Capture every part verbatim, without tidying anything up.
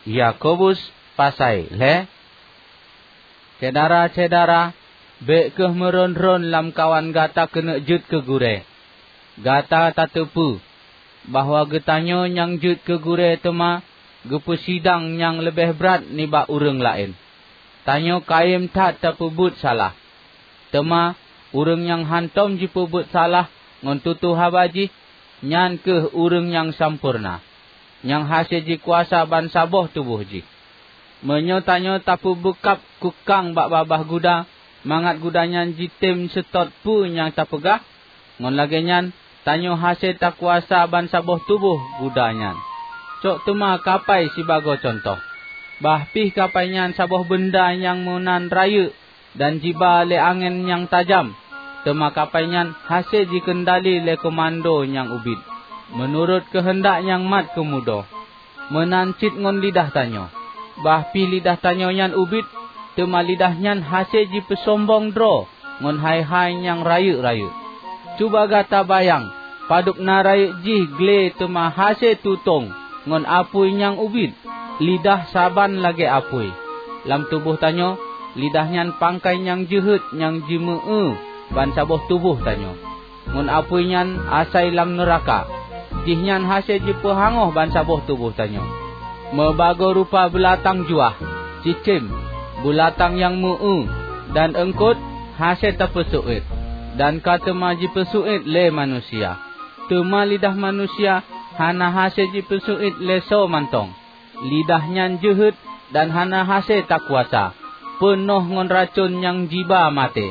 Yakobus pasai lhée. Syedara-syedara, bék kheueh meuron-ron lamkawan gata keuneuk jeuet keu gurée. Gata tateupeue bahwa geutanyoe nyang jeuet keu gurée teuma geupeusidang nyang leubeh brat nibak ureuëng laén. Tanyoe kayém that tapeubuet salah. Teuma ureuëng nyang hántom jipeubuet salah ngon tutoe haba jih, nyan kheueh ureuëng nyang sampoereuna, nyang hase jikuasa bansaboh tuboh jih. Meunyoe tanyoe tapeubeukab kukang bak babah guda, mangat guda nyan jitem seutôt peue nyang tapeugah, ngon lagée nyan tanyoe hase takuasa bansaboh tuboh guda nyan. Cok teuma kapai sibagoe cuntoh. Bah pih kapai nyan saboh beunda nyang meunan rayeuk dan jiba lé angén nyang tajam, teuma kapai nyan hase jikeundali lé keumando nyang ubit, meunurot keuheundak nyang mat keumudo. Meunan cit ngon lidah tanyoe. Bah pih lidah tanyoe nyan ubit, teuma lidah nyan hase jipeusombong droe ngon hai-hai nyang rayeuk-rayeuk. Cuba gata bayang padub na rayeuk jih glé teuma hase tutong ngon apui nyang ubit. Lidah saban lagée apui. Lam tuboh tanyoe, lidah nyan pangkai nyang jeuhet nyang jimeu-eu bansaboh tuboh tanyoe. Ngon apui nyan asai lam neuraka. Jihnyan hase jipeuhangoh bansaboh tuboh tanyoe. Meubagoe rupa beulatang juah, cicém, beulatang nyang meu-eu, dan eungkot hase tapeuseuet, dan ka teuma jipeuseuet lé manusia. Teuma lidah manusia hana hase jipeuseuet lé soe mantong. Lidah nyan jeuhet dan hana hase takuasa, peunoh ngon racon nyang jiba maté.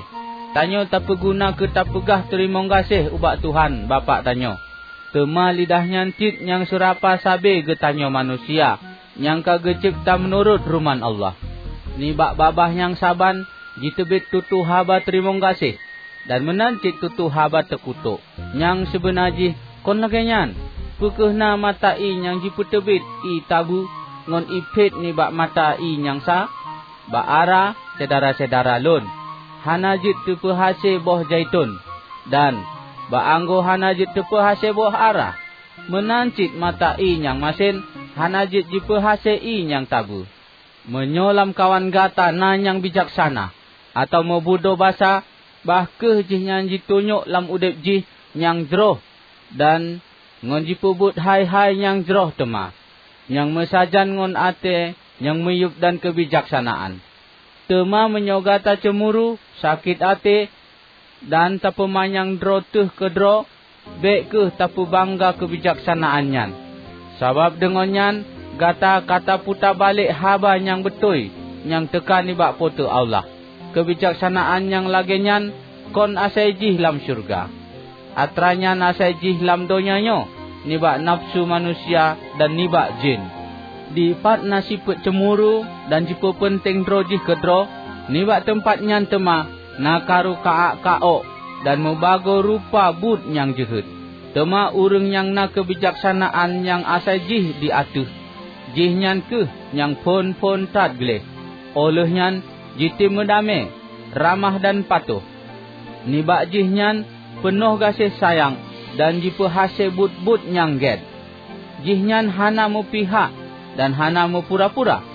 Tanyoe tapeuguna keu tapeugah teurimong gaséh ubak Tuhan Bapak tanyoe. Teuma lidah nyan cit nyang seurapa sabe geutanyoe manusia nyang ka geucebta meunurot ruman Allah. Nibak babah nyang saban jiteubiet tutoe haba teurimong gaséh, dan meunan cit tutoe haba teukutok. Nyang sibeuna jih kon lagée nyan. Peu kheueh na mata ié nyang jipeuteubiet ié tabeue ngon ié phét nibak mata ié nyang sa? Bak ara, syedara-syedara lôn, hana jeuet teupeuhase boh zaiton, dan bak anggô hana jeuet teupeuhase boh ara. Meunan cit mata ié nyang masen hana jeuet jipeuhase ié nyang tabeue. Meunyoe lamkawan gata na nyang bijaksana atawa meubudoe basa, bah kheueh jihnyan jitunyok lam udeb jih nyang jroh dan ngon jipeubuet hai-hai nyang jroh teuma, nyang meusajan ngon até nyang miyueb dan keubijaksanaan. Teuma meunyoe gata ceumuru, sakét até, dan tapeumanyang droe teuh keudroe, bék kheueh tapeubangga keubijaksanaan nyan. Sabab deungon nyan gata ka taputa balek haba nyang beutôi nyang teuka nibak Po teu Allah. Keubijaksanaan nyang lagée nyan kon asai jih lam syeuruga. Atra nyan asai jih lam donya nyoe nibak nafeusu manusia dan nibak jén. Dipat na sifeuet ceumuru dan jipeupeunténg droe jih keudroe, nibak teumpat nyan teuma na karu ka-ak ka-ok dan meubagoe rupa buet nyang jeuhet. Teuma ureuëng nyang na keubijaksanaan nyang asai jih di ateueh, jihnyan kheueh nyang phon-phon that gleh. Óh lheueh nyan jitem meudamé, ramah dan patoh. Nibak jihnyan peunoh gaséh sayang dan jipeuhase buet-buet nyang gét. Jihnyan hana meupihak dan hana meupura-pura.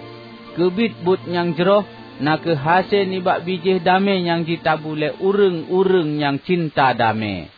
Keubiet buet nyang jroh na kheueh hase nibak bijéh damé nyang jitabu lé ureuëng-ureuëng nyang cinta damé.